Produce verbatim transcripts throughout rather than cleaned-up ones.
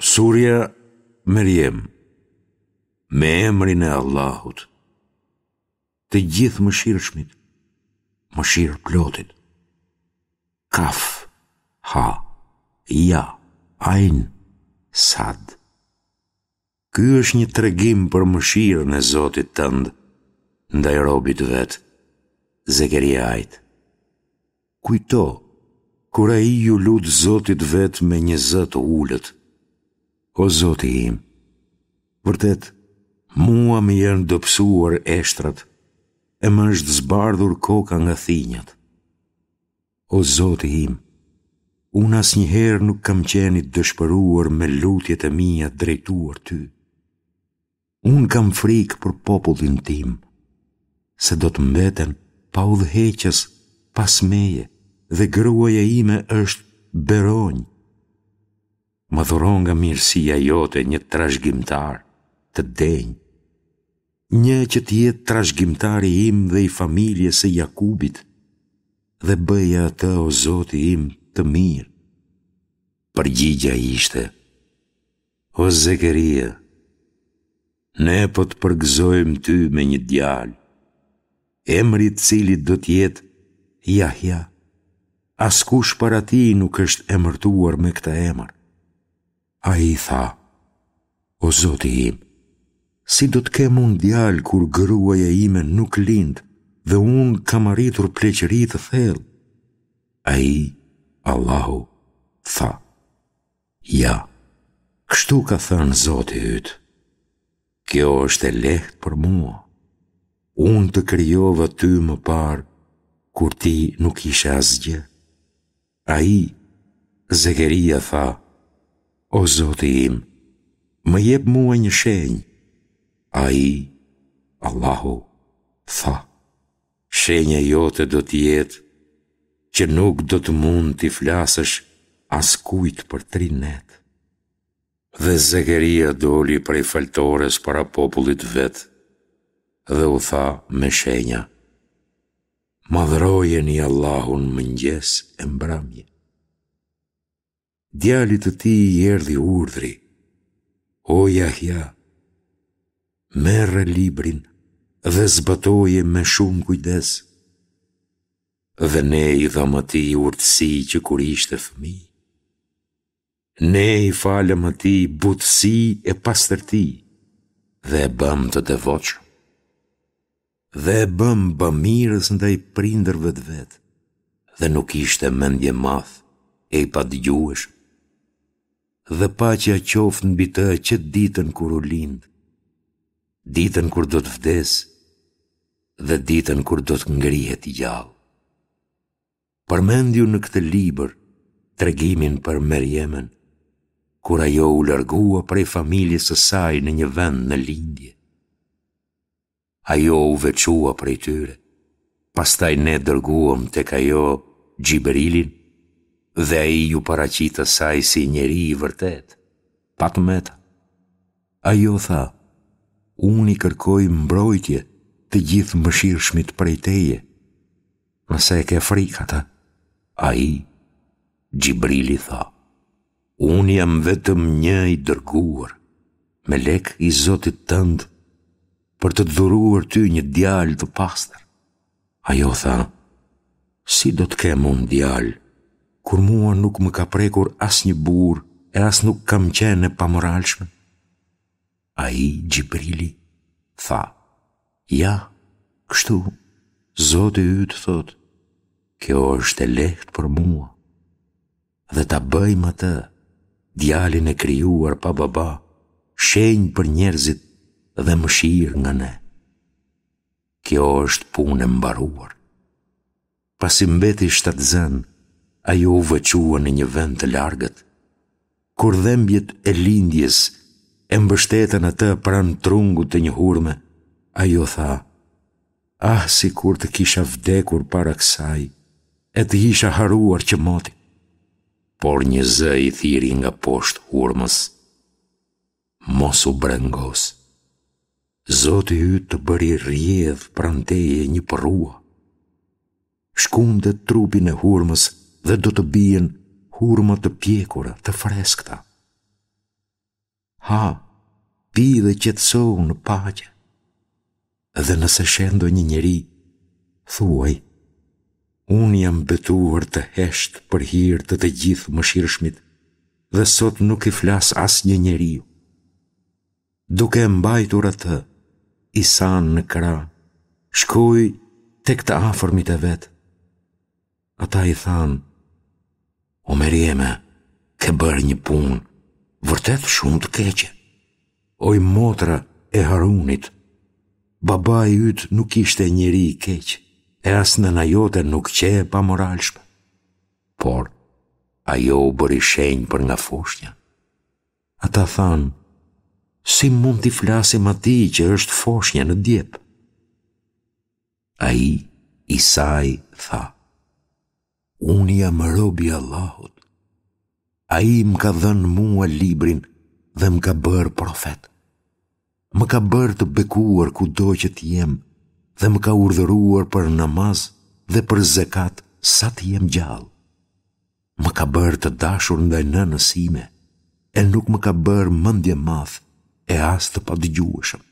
Surja Merjem Me emrin e Allahut Të Gjithëmëshirshmit Mëshirëplotit Kaf Ha Ja Ajn Sad Ky është një tregim për mëshirën e Zotit tënd ndaj robit të vet, Zekeriait. Kujto, kur ai iu lut Zotit vet me një zë të ulët, O Zoti im, vërtet, mua më janë dobësuar eshtrat e më është zbardhur koka nga thinjat. O Zoti im, unë asnjëherë nuk kam qenë i dëshpëruar me lutjet e mia drejtuar ty. Unë kam frikë për popullin tim, se do të mbeten pa udhëheqës pas meje dhe gruaja ime është beronjë. Më dhuro nga mirësia jote një trashëgimtar të denjë, një që të jetë trashëgimtari im dhe i familjes së Jakubit, dhe bëje atë, o Zoti im, të mirë. Përgjigja ishte, O Zekeria, ne po të përgëzojmë ty me një djalë, emri i të cilit do të jetë Jahja. Askush para tij nuk është emërtuar me këtë emër. Ai tha, O Zoti im, si do të kem unë djalë kur gruaja ime nuk lind dhe unë kam arritur pleqëri të thellë? Ai, Allahu, tha, Ja, kështu ka thënë Zoti yt. Kjo është e lehtë për mua. Unë të krijova ty më parë, kur ti nuk ishe asgjë. Ai, Zekeria tha, O Zoti im, më jep mua një shenjë. Ai, Allahu, tha, Shenja jote do të jetë që nuk do të mund t'i flasësh askujt për tri net. Dhe Zekeria doli prej faltores para popullit të vet dhe u tha me shenja, Madhërojeni Allahun mëngjes e mbrëmje. Djalit të tij i erdhi urdhri, O Jahja, merre librin dhe zbatoje me shumë kujdes. Dhe ne i dhamë atij urtësi që kur ishte fëmijë. Ne i falëm atij butësi e pastërti dhe e bëmë të devotshëm. Dhe e bëmë bamirës ndaj prindërve të vet, dhe nuk ishte mendjemadh e i padëgjueshëm. Dhe paqja qoftë mbi të që ditën kur u lind, ditën kur do të vdesë dhe ditën kur do të ngrihet i gjallë. Përmendju në këtë libër tregimin për Merjemen, kur ajo u largua prej familjes së saj në një vend në lindje. Ajo u veçua prej tyre. Pastaj ne dërguam tek ajo Xhibrilin dhe ai iu paraqit asaj si njeri i vërtetë, pa të meta. Ajo tha, unë i kërkoj mbrojtje të Gjithëmëshirshmit prej teje, nëse e ke frikë atë. Ai, Xhibrili tha, Unë jam vetëm një i dërguar, melek i Zotit tënd, për të të dhuruar ty një djalë të pastër. Ajo tha, si do të kem unë djalë, kur mua nuk më ka prekur asnjë burrë e as nuk kam qenë e pamoralshme? Ai, Xhibrili, tha, ja, kështu, Zoti yt thotë, kjo është e lehtë për mua. Dhe ta bëjmë atë, djalin e krijuar pa baba, shenjë për njerëzit dhe mëshirë nga ne. Kjo është punë e mbaruar. Pasi mbeti shtatzënë, ajo u veçua në një vend të largët. Kur dhembjet e lindjes e mbështetën atë pranë trungut të një hurme, ajo tha, Ah, sikur të kisha vdekur para kësaj, e të isha harruar që moti. Por një zë i thirri nga poshtë hurmës, mos u brengos. Zoti yt të bëri rrjedhë pranë teje një përrua. Shkunde trupin e hurmës dhe do të bien hurma të pjekura, të freskëta. Ha, pi dhe qetësohu në paqe. Dhe nëse sheh ndonjë njeri, thuaj, unë jam betuar të hesht për hir të të Gjithëmëshirshmit dhe sot nuk i flas asnjë njeriu. Duke e mbajtur atë, Isanë në krah, shkoi tek të afërmit e vet. Ata i thanë, O Merjeme, ke bërë një punë, vërtet shumë të keqe. Oj motra e Harunit, babai yt nuk ishte njeri i keq, e as nëna jote nuk qe e pamoralshme. Por, ajo u bëri shenjë për nga foshnja. Ata thanë, si mund t'i flasim atij që është foshnja në djep? Ai, Isai, tha, Unë jam rob i Allahut. Ai më ka dhënë mua librin dhe më ka bërë profet. Më ka bërë të bekuar kudo që të jem dhe më ka urdhëruar për namaz dhe për zekat sa të jem gjallë. Më ka bërë të dashur ndaj nënës sime e nuk më ka bërë mendjemadh e as të padëgjueshëm.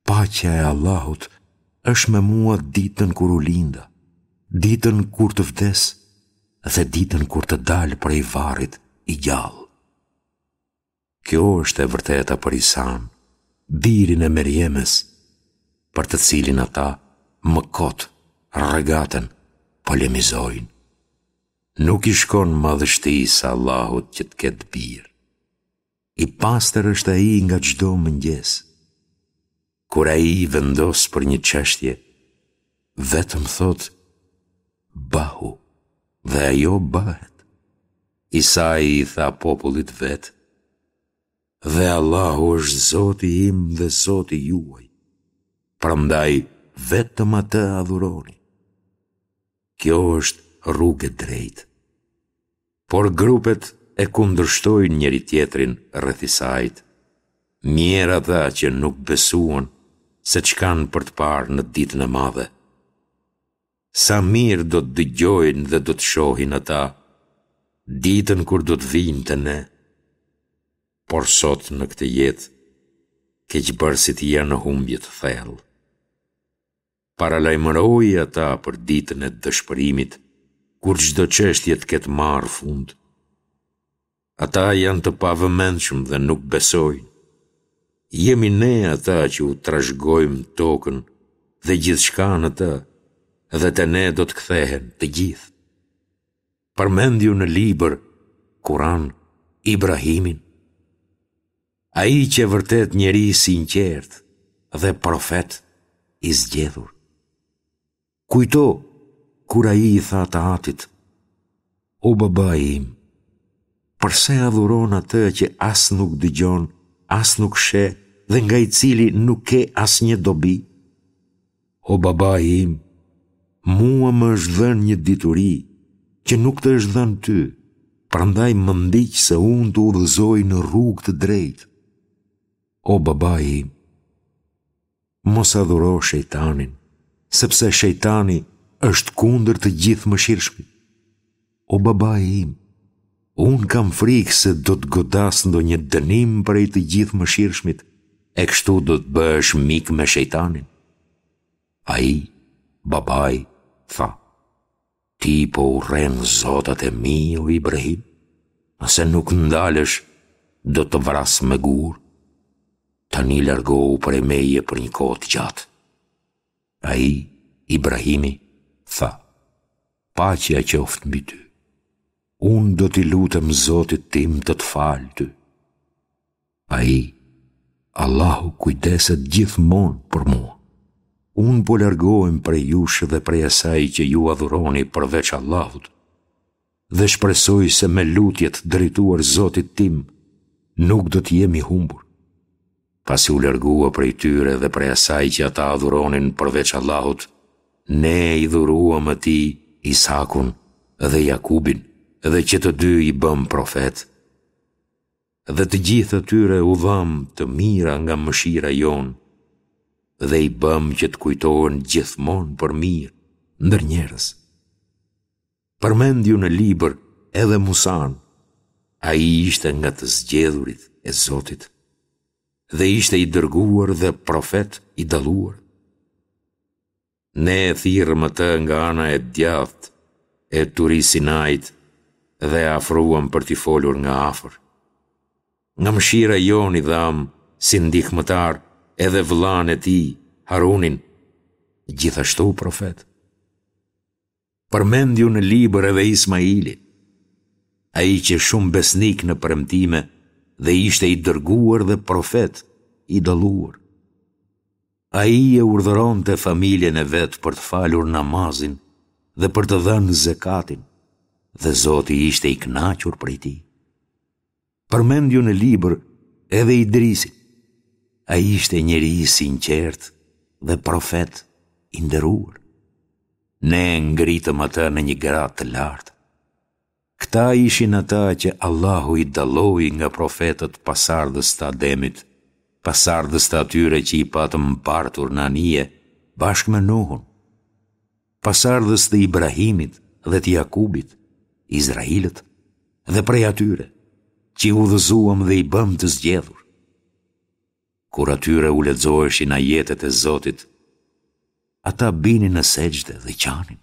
Paqja e Allahut është me mua ditën kur u linda, ditën kur të vdes dhe ditën kur të dal prej varrit i gjallë. Kjo është e vërteta për Isanë, birin e Merjemes, për të cilin ata më kot rregaten, polemizojnë. Nuk i shkon madhështisë së Allahut që të ketë bir. I pastër është ai nga çdo mungesë. Kur ai vendos për një çështje, vetëm thotë bëhu dhe ajo bëhet. Isai i tha popullit vet, dhe Allahu është Zoti im dhe Zoti juaj, prandaj vetëm atë adhuroni. Kjo është rrugë e drejtë. Por grupet e kundërshtojnë njëri-tjetrin rreth Isait. Mjerë ata që nuk besuan se ç'kanë për të parë në ditën e madhe. Sa mirë do të dëgjojnë dhe do të shohin ata, ditën kur do të vijnë te ne. Por sot në këtë jetë, keqbërësit janë në humbje të thellë. Paralajmëroji ata për ditën e dëshpërimit, kur çdo çështje të ketë marrë fund. Ata janë të pavëmendshëm dhe nuk besojnë. Jemi ne ata që u trashëgojmë tokën dhe gjithçka në të, dhe te ne do të kthehen të gjithë. Përmendju në libër, Kuran, Ibrahimin. Ai qe vërtet njeri i sinqertë dhe profet i zgjedhur. Kujto kur ai i tha të atit, O babai im, përse adhuron atë që as nuk dëgjon, as nuk sheh dhe nga i cili nuk ke asnjë dobi? O babai im, mua më është dhënë një dituri që nuk të është dhënë ty, prandaj më ndiq se unë të udhëzoj në rrugë të drejtë. O babai im, mos adhuro shejtanin, sepse shejtani është kundër të Gjithëmëshirshmit. O babai im, unë kam frikë se do të godasë ndonjë dënim prej të Gjithëmëshirshmit, e kështu do të bëhesh mik me shejtanin. Ai, babai, tha, ti po urren zotat e mi, o Ibrahim, nëse nuk ndalesh, do të vras me gurë. Tani largohu prej meje për një kohë të gjatë. Ai, Ibrahimi, tha, paqja qoftë mbi ty. Unë do t'i lutem Zotit tim të të falë ty. Ai, Allahu kujdeset gjithmonë për mua. Unë po largohem prej jush dhe prej asaj që ju adhuroni përveç Allahut, dhe shpresoj se me lutjet drejtuar Zotit tim nuk do të jem i humbur. Pasi u largua prej tyre dhe prej asaj që ata adhuronin përveç Allahut, ne i dhuruam atij Isakun dhe Jakubin dhe që të dy i bëmë profetë. Dhe të gjithë atyre u dhamë të mira nga mëshira jonë dhe i bëmë që të kujtohen gjithmonë për mirë ndër njerëz. Përmendju në libër edhe Musanë, ai ishte nga të zgjedhurit e Zotit. dhe ishte i dërguar dhe profet i dalluar. Ne e thirrëm atë nga ana e djathtë e Turi Sinait dhe e afruam për t'i folur nga afër. Nga mëshira jonë i dhamë si ndihmëtar edhe vëllanë e tij, Harunin, gjithashtu profet. Përmendju në libër edhe Ismailin. Ai qe shumë besnik në premtime dhe ishte i dërguar dhe profet i dalluar. Ai e urdhëronte familjen e vet për të falur namazin dhe për të dhënë zekatin, dhe Zoti ishte i kënaqur prej tij. Përmendju në libër edhe Idrisin. Ai ishte njeri i sinqertë dhe profet i nderuar. Ne e ngritëm atë në një gradë të lartë. Këta ishin ata që Allahu i dalloi nga profetët pasardhës të Ademit, pasardhës të atyre që i patëm mbartur në anije bashkë me Nuhun, pasardhës të Ibrahimit dhe të Jakubit, Izrailët, dhe prej atyre, që i udhëzuam dhe i bëmë të zgjedhur. Kur atyre u lexoheshin ajetet e Zotit, ata binin në sexhde dhe qanin.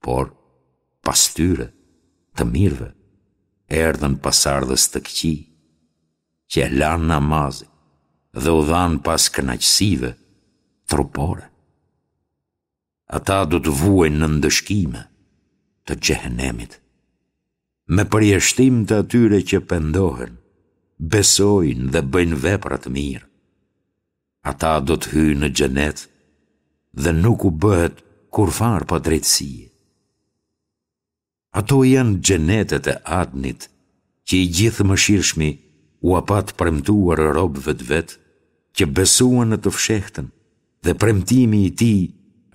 Por, pas tyre, të mirëve, erdhën pasardhës të këqij, që e lanë namazin dhe u dhanë pas kënaqësive trupore. Ata do të vuajnë në ndëshkime të xhehenemit. Me përjashtim të atyre që pendohen, besojnë dhe bëjnë vepra të mira. Ata do të hyjnë në xhenet dhe nuk u bëhet kurrfarë padrejtësie. Ato janë xhenetet e Adnit, që i Gjithëmëshirshmi ua pat premtuar robëve të vet, që besuan në të fshehtën dhe premtimi i tij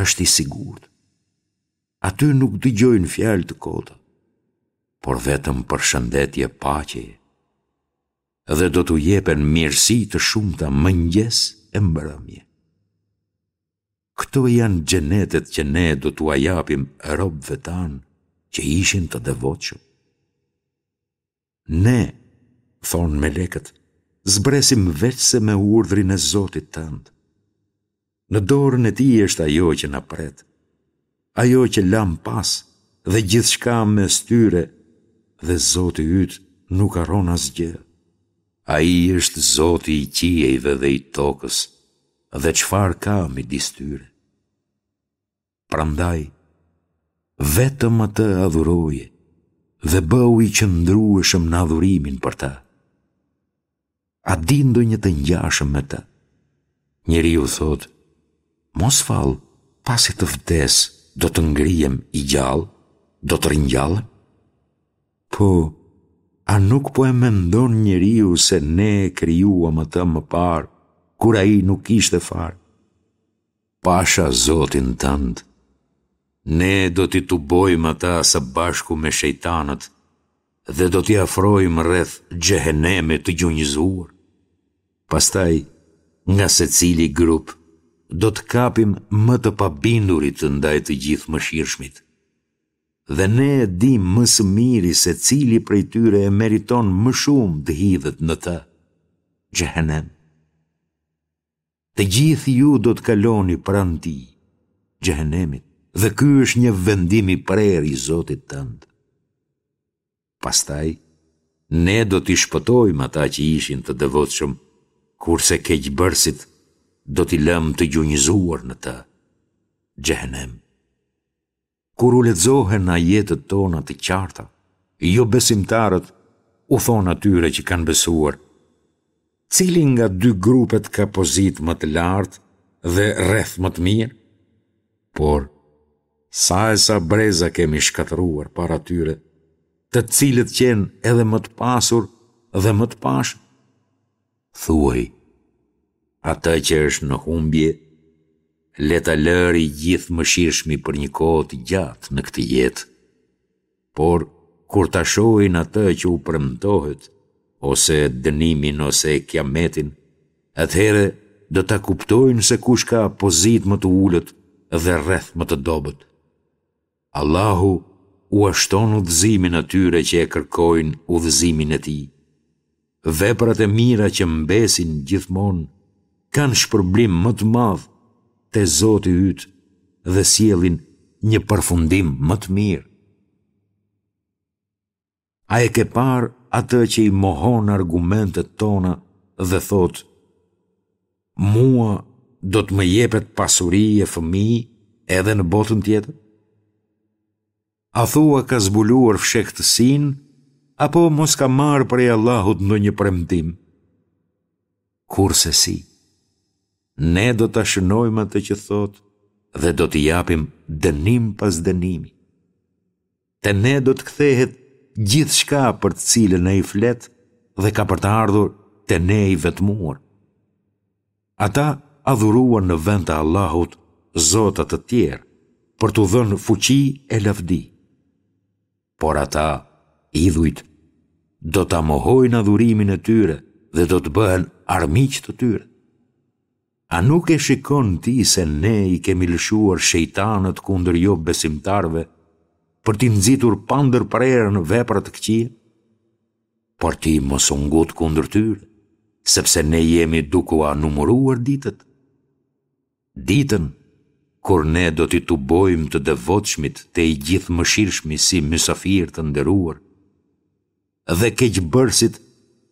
është i sigurt. Aty nuk dëgjojnë fjalë të kota, por vetëm përshëndetje paqeje. Dhe do t'u jepen mirësi të shumta mëngjes e mbrëmje. Këto janë xhenetet që ne do t'ua japim robëve tanë që ishin të devotshëm. Ne, thonë melekët, zbresim veçse me urdhrin e Zotit tënd. Në dorën e tij është ajo që na pret, ajo që lamë pas dhe gjithçka mes tyre dhe Zoti yt nuk harron asgjë. Ai është Zoti i qiejve dhe i tokës dhe çfarë ka midis tyre. Prandaj, vetëm atë adhuroje dhe bëhu i qëndrueshëm në adhurimin për të. A di ndonjë të ngjashëm me të? Njeriu thotë, mos vallë, pasi të vdes, do të ngrihem i gjallë, do të ringjallem? Po, a nuk po e mendon njeriu se ne e krijuam atë më parë, kur ai nuk ishte fare? Pasha Zotin tënd, ne do t'i tubojmë ata së bashku me shejtanët dhe do t'i afrojmë rreth xhehenemit të gjunjëzuar. Pastaj, nga secili grup, do të kapim më të pabindurit ndaj të Gjithëmëshirshmit. Dhe ne e dimë më së miri se cili prej tyre e meriton më shumë të hidhet në të, xhehenem. Të gjithë ju do të kaloni pranë tij, xhehenemit, dhe ky është një vendim i prerë i Zotit tënd. Pastaj, ne do t'i shpëtojmë ata që ishin të devotshëm, kurse keqbërësit do t'i lëmë të gjunjëzuar në të, xhehenem. Kur u lexohen ajetet tona të qarta, jobesimtarët u thonë atyre që kanë besuar, Cili nga dy grupet ka pozitë më të lartë dhe rreth më të mirë? Por, sa e sa breza kemi shkatërruar para tyre, të cilët qenë edhe më të pasur dhe më të pashëm? Thuaj, atë që është në humbje, le ta lërë i Gjithëmëshirshmi për një kohë të gjatë në këtë jetë. Por, kur ta shohin atë që u premtohet, ose dënimin ose kiametin, atëherë do ta kuptojnë se kush ka pozitë më të ulët dhe rreth më të dobët. Allahu ua shton udhëzimin atyre që e kërkojnë udhëzimin e Tij. Veprat e mira që mbesin gjithmonë kanë shpërblim më të madh te Zoti yt dhe sjellin një përfundim më të mirë. A e ke parë atë që i mohon argumentet tona dhe thotë, mua do të më jepet pasuri e fëmijë edhe në botën tjetër? A thua ka zbuluar fshehtësinë, apo mos ka marrë prej Allahut ndonjë premtim? Kurrsesi, ne do ta shënojmë atë që thotë dhe do t'i japim dënim pas dënimi. Te ne do të kthehet gjithçka për të cilën ai flet dhe ka për të ardhur te ne i vetmuar. Ata adhuruan në vend të Allahut zota të tjerë për t'u dhënë fuqi e lavdi. Por ata, idhujt, do ta mohojnë adhurimin e tyre dhe do të bëhen armiq të tyre. A nuk e shikon ti se ne i kemi lëshuar shejtanët kundër jobesimtarëve për t'i nxitur pandërprerë në vepra të këqija? Por ti mos u ngut kundër tyre, sepse ne jemi duke ua numëruar ditët. Ditën kur ne do t'i tubojmë të devotshmit te i Gjithëmëshirshmi si mysafirë të nderuar, dhe keqbërësit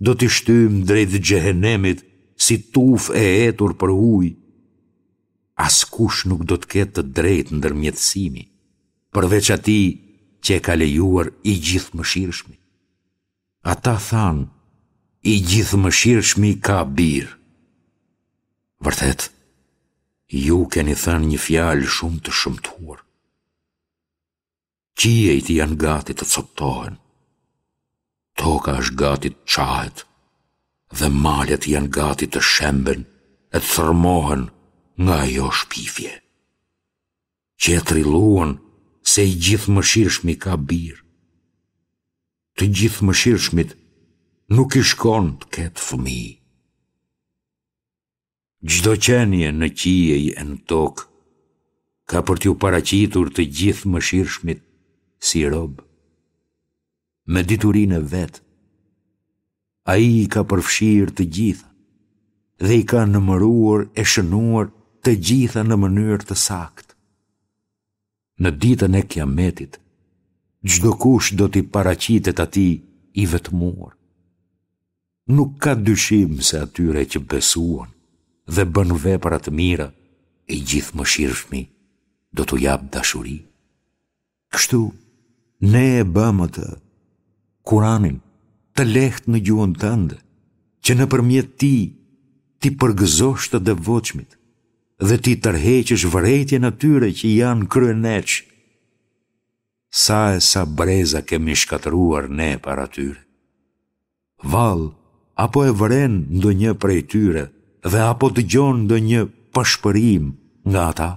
do t'i shtyjmë drejt xhehenemit si tufë e etur për ujë. Askush nuk do të ketë të drejtë ndërmjetësimi, përveç atij që e ka lejuar i Gjithëmëshirshmi. Ata thanë, i Gjithëmëshirshmi ka bir. Vërtet, ju keni thënë një fjalë shumë të shëmtuar. Qiejt janë gati të copëtohen, toka është gati të çahet dhe malet janë gati të shemben e të thërrmohen nga ajo shpifje. Që e trilluan se i Gjithëmëshirshmi ka bir. Të Gjithëmëshirshmit nuk i shkon të ketë fëmijë. Çdo qenie në qiej e në tokë ka për t'iu paraqitur të Gjithëmëshirshmit si rob. Me diturinë e vet, ai i ka përfshirë të gjitha dhe i ka numëruar e shënuar të gjitha në mënyrë të saktë. Në ditën e Kiametit, çdokush do t'i paraqitet atij i vetmuar. Nuk ka dyshim se atyre që besuan dhe bënë vepra të mira, i Gjithëmëshirshmi do t'u japë dashuri. Kështu, ne e bëmë atë, Kuranin, të lehtë në gjuhën tënde, që nëpërmjet tij t'i përgëzosh të devotshmit dhe t'i tërheqësh vërejtjen atyre që janë kryeneçë. Sa e sa breza kemi shkatërruar ne para tyre. Vallë, a po e vëren ndonjë prej tyre dhe a po dëgjon ndonjë pëshpërimë nga ata?